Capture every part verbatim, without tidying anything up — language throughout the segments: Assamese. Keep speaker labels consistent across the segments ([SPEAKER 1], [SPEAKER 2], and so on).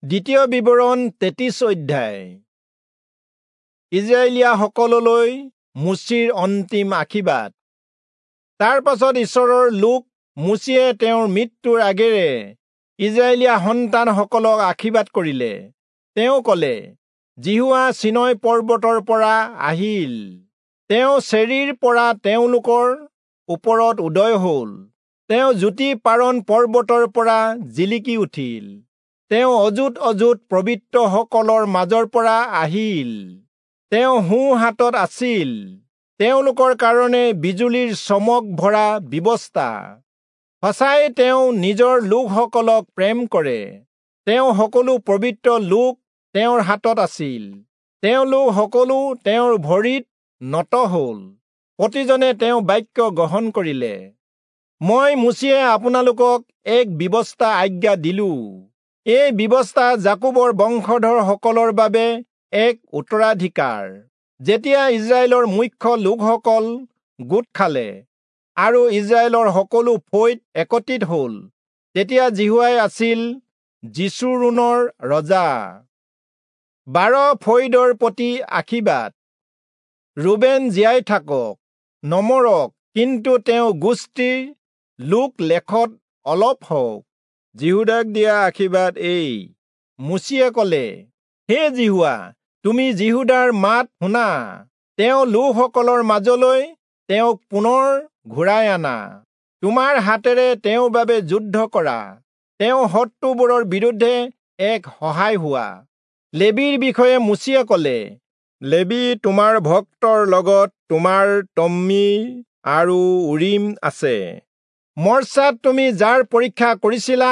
[SPEAKER 1] দ্বিতীয় বিৱৰণ তেত্ৰিশ অধ্যায়। ইজৰাইলীয়াসকললৈ মোচিৰ অন্তিম আশীৰ্বাদ। তাৰ পাছত ঈশ্বৰৰ লোক মোচিয়ে তেওঁৰ মৃত্যুৰ আগেৰে ইজৰাইলীয়া সন্তানসকলক আশীৰ্বাদ কৰিলে। তেওঁ কলে, যিহোৱা চীনয় পৰ্বতৰ পৰা আহিল, তেওঁ চেৰীৰ পৰা তেওঁলোকৰ ওপৰত উদয় হল, তেওঁ জ্যোতি পাৰণ পৰ্বতৰ পৰা জিলিকি উঠিল, তেওঁ অযুত অযুত পবিত্ৰসকলৰ মাজৰ পৰা আহিল, তেওঁ সোঁ হাতত আছিল তেওঁলোকৰ কাৰণে বিজুলীৰ চমক ভৰা ব্যৱস্থা। সঁচাই তেওঁ নিজৰ লোকসকলক প্ৰেম কৰে, তেওঁ সকলো পবিত্ৰ লোক তেওঁৰ হাতত আছিল, তেওঁলোক সকলো তেওঁৰ ভৰিত নত হল, প্ৰতিজনে তেওঁ বাক্য গ্ৰহণ কৰিলে। মই মোচিয়ে আপোনালোকক এক ব্যৱস্থা আজ্ঞা দিলো। এই ব্যৱস্থা যাকোবৰ বংশধৰসকলৰ বাবে এক উত্তৰাধিকাৰ। যেতিয়া ইজৰাইলৰ মুখ্য লোকসকল গোট খালে আৰু ইজৰাইলৰ সকলো ফৈদ একত্ৰিত হল, তেতিয়া যিহোৱাই আছিল যিচুৰুণৰ ৰজা। বাৰ ফৈদৰ প্ৰতি আশীৰ্বাদ। ৰুবেন জীয়াই থাকক, নমৰক, কিন্তু তেওঁ গোষ্ঠীৰ লোক লেখত অলপ হওক। যিহূদাক দিয়া আশীৰ্বাদ এই। মোচিয়ে কলে, হে যিহোৱা, তুমি যিহূদাৰ মাত শুনা, তেওঁ লোকসকলৰ মাজলৈ তেওঁক পুনৰ ঘূৰাই আনা, তোমাৰ হাতেৰে তেওঁৰ বাবে যুদ্ধ কৰা, তেওঁ শত্ৰুবোৰৰ বিৰুদ্ধে এক সহায় হোৱা। লেবীৰ বিষয়ে মোচিয়ে কলে, লেবী তোমাৰ ভক্তৰ লগত তোমাৰ তম্মীম আৰু উৰীম আছে। মৰ্চাত তুমি যাৰ পৰীক্ষা কৰিছিলা,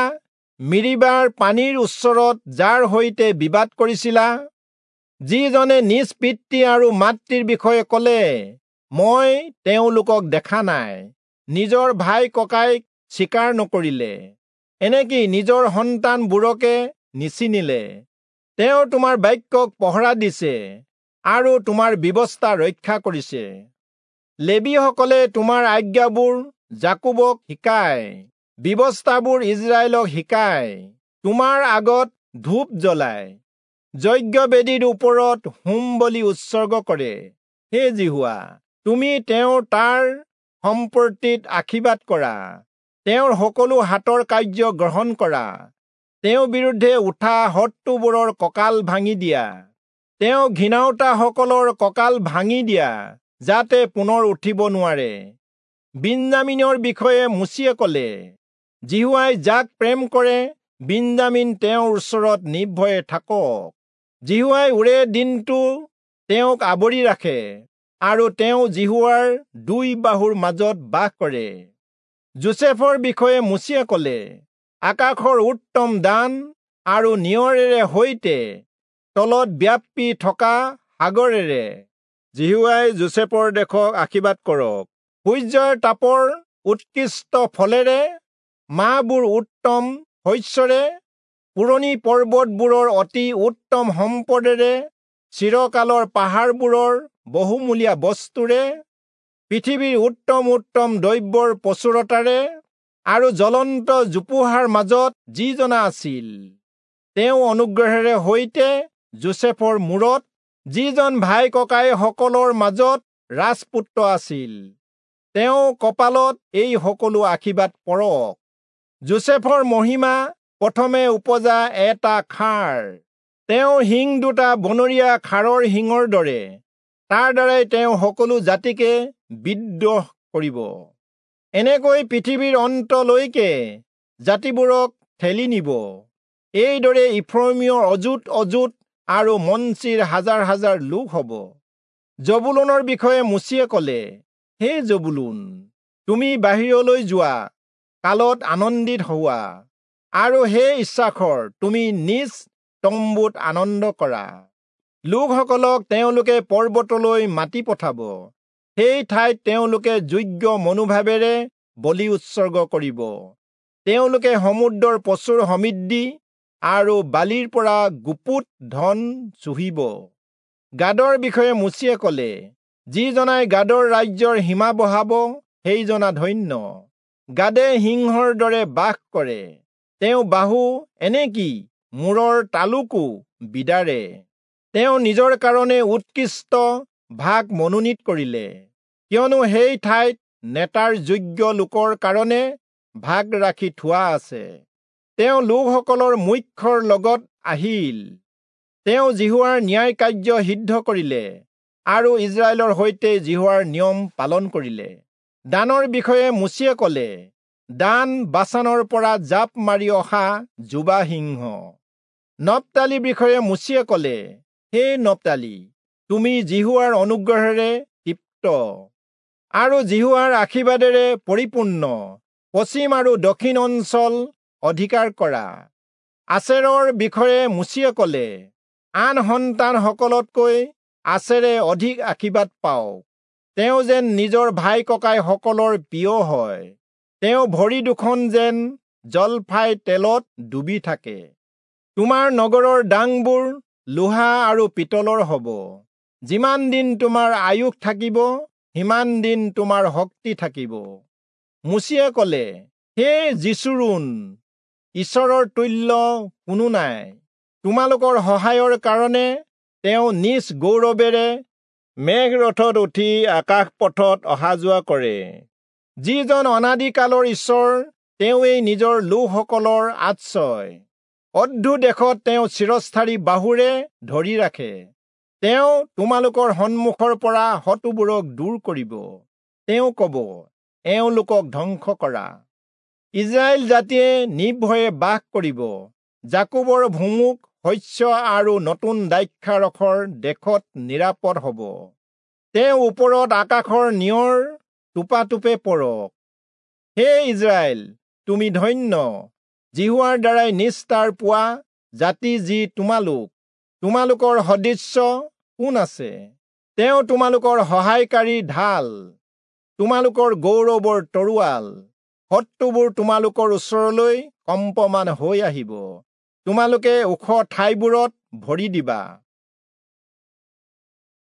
[SPEAKER 1] মিৰিবাৰ পানীৰ ওচৰত যাৰ সৈতে বিবাদ কৰিছিলা, যিজনে নিজ পিতৃ আৰু মাতৃৰ বিষয়ে কলে, মই তেওঁলোকক দেখা নাই, নিজৰ ভাই ককাইক স্বীকাৰ নকৰিলে, এনেকি নিজৰ সন্তানবোৰকে নিচিনিলে। তেওঁ তোমাৰ বাক্যক পহৰা দিছে আৰু তোমাৰ ব্যৱস্থা ৰক্ষা কৰিছে। লেবীসকলে তোমাৰ আজ্ঞাবোৰ যাকোবক শিকায়, ব্যৱস্থাবোৰ ইজৰাইলক শিকায়, তোমাৰ আগত ধূপ জ্বলায়, যজ্ঞবেদীৰ ওপৰত হোম বলি উৎসৰ্গ কৰে। হে যিহোৱা, তুমি তেওঁৰ তাৰ সম্পত্তিত আশীৰ্বাদ কৰা, তেওঁৰ সকলো হাতৰ কাৰ্য গ্ৰহণ কৰা, তেওঁৰ বিৰুদ্ধে উঠা শত্ৰুবোৰৰ কঁকাল ভাঙি দিয়া, তেওঁ ঘৃণাওতাসকলৰ কঁকাল ভাঙি দিয়া, যাতে পুনৰ উঠিব নোৱাৰে। বিন্যামীনৰ বিষয়ে মোচিয়ে কলে, যিহোৱাই যাক প্ৰেম কৰে, বিন্যামীন তেওঁৰ ওচৰত নিৰ্ভয়ে থাকক। যিহোৱাই ওৰে দিনটো তেওঁক আৱৰি ৰাখে, আৰু তেওঁ যিহোৱাৰ দুই বাহুৰ মাজত বাস কৰে। যোচেফৰ বিষয়ে মোচিয়ে কলে, আকাশৰ উত্তম দান আৰু নিয়ৰেৰে সৈতে তলত ব্যাপি থকা সাগৰেৰে যিহোৱাই যোচেফৰ দেশক আশীৰ্বাদ কৰক। সূৰ্যৰ তাপৰ উৎকৃষ্ট ফলেৰে, মাহবোৰ উত্তম শস্যৰে, পুৰণি পৰ্বতবোৰৰ অতি উত্তম সম্পদেৰে, চিৰকালৰ পাহাৰবোৰৰ বহুমূলীয়া বস্তুৰে, পৃথিৱীৰ উত্তম উত্তম দ্ৰব্যৰ প্ৰচুৰতাৰে, আৰু জ্বলন্ত জোপোহাৰ মাজত যিজনা আছিল, তেওঁ অনুগ্ৰহেৰে সৈতে যোচেফৰ মূৰত, যিজন ভাই ককাইসকলৰ মাজত ৰাজপুত্ৰ আছিল, তেওঁ কপালত এই সকলো আশীৰ্বাদ পৰক। যোচেফৰ মহিমা প্ৰথমে উপজা এটা খাৰ, তেওঁৰ শিং দুটা বনৰীয়া খাৰৰ শিঙৰ দৰে, তাৰ দ্বাৰাই তেওঁ সকলো জাতিকে বিদ্ৰোহ কৰিব। এনেকৈ পৃথিৱীৰ অন্তলৈকে জাতিবোৰক ঠেলি নিব। এইদৰে ইফ্ৰয়িমৰ অযুত অযুত আৰু মনচিৰ হাজাৰ হাজাৰ লোক হব। জবুলনৰ বিষয়ে মোচিয়ে কলে, হে জবুলুন, তুমি বাহিৰলৈ যোৱা কালত আনন্দিত হোৱা, আৰু হে ইচ্ছাখৰ, তুমি নিজ তম্বুত আনন্দ কৰা। লোকসকলক তেওঁলোকে পৰ্বতলৈ মাতি পঠাব, সেই ঠাইত তেওঁলোকে যোগ্য মনোভাৱেৰে বলি উৎসৰ্গ কৰিব। তেওঁলোকে সমুদ্ৰৰ প্ৰচুৰ সমৃদ্ধি আৰু বালিৰ পৰা গুপুত ধন চুহিব। গাদৰ বিষয়ে মোচিয়ে কলে, যিজনাই গাদৰ ৰাজ্যৰ সীমা বঢ়াব, সেইজনা ধন্য। গাদে সিংহৰ দৰে বাস কৰে, তেওঁ বাহু এনেকি মূৰৰ তালুকো বিদাৰে। তেওঁ নিজৰ কাৰণে উৎকৃষ্ট ভাগ মনোনীত কৰিলে, কিয়নো সেই ঠাইত নেতাৰ যোগ্য লোকৰ কাৰণে ভাগ ৰাখি থোৱা আছে। তেওঁ লোকসকলৰ মুখ্যৰ লগত আহিল। তেওঁ যিহোৱাৰ ন্যায় কাৰ্য সিদ্ধ কৰিলে আৰু ইজৰাইলৰ সৈতে যিহোৱাৰ নিয়ম পালন কৰিলে। দানৰ বিষয়ে মোচিয়ে কলে, দান বাচানৰ পৰা জাপ মাৰি অহা যুৱা সিংহ। নপ্তালীৰ বিষয়ে মোচিয়ে কলে, হে নপ্তালী, তুমি যিহোৱাৰ অনুগ্ৰহেৰে তৃপ্ত আৰু যিহোৱাৰ আশীৰ্বাদেৰে পৰিপূৰ্ণ পশ্চিম আৰু দক্ষিণ অঞ্চল অধিকাৰ কৰা। আচেৰৰ বিষয়ে মোচিয়ে কলে, আন সন্তানসকলতকৈ আচেৰে অধিক আশীৰ্বাদ পাওক, তেওঁ যেন নিজৰ ভাই ককাইসকলৰ প্ৰিয় হয়। তেওঁ ভৰি দুখন যেন জলফাই তেলত ডুবি থাকে। তোমাৰ নগৰৰ ডাংবোৰ লোহা আৰু পিতলৰ হ'ব। যিমান দিন তোমাৰ আয়ুস থাকিব, সিমান দিন তোমাৰ শক্তি থাকিব। মোচিয়ে কলে, হে যিচূৰূণ, ঈশ্বৰৰ তুল্য কোনো নাই। তোমালোকৰ সহায়ৰ কাৰণে তেওঁ নিজ গৌৰৱেৰে মেঘৰথত উঠি আকাশ পথত অহা যোৱা কৰে। যিজন অনাদিকালৰ ঈশ্বৰ, তেওঁৱেই নিজৰ লোকসকলৰ আশ্ৰয়। অদ্ধ দেশত তেওঁ চিৰস্থায়ী বাহুৰে ধৰি ৰাখে। তেওঁ তোমালোকৰ সন্মুখৰ পৰা শত্ৰুবোৰক দূৰ কৰিব। তেওঁ কব, এওঁলোকক ধ্বংস কৰা। ইজৰাইল জাতিয়ে নিৰ্ভয়ে বাস কৰিব। যাকোবৰ ভুমুক শস্য আৰু নতুন দ্ৰাক্ষাৰসৰ দেশত নিৰাপদ হ'ব। তেওঁ ওপৰত আকাশৰ নিয়ৰ টোপাটোপে পৰক। হে ইজৰাইল, তুমি ধন্য, যিহোৱাৰ দ্বাৰাই নিস্তাৰ পোৱা জাতি যি তোমালোক। তোমালোকৰ সদৃশ্য কোন আছে? তেওঁ তোমালোকৰ সহায়কাৰী ঢাল, তোমালোকৰ গৌৰৱৰ তৰোৱাল। শত্ৰুবোৰ তোমালোকৰ ওচৰলৈ কম্পমান হৈ আহিব। তোমালোকে ওখ ঠাইবোৰত ভৰি দিবা।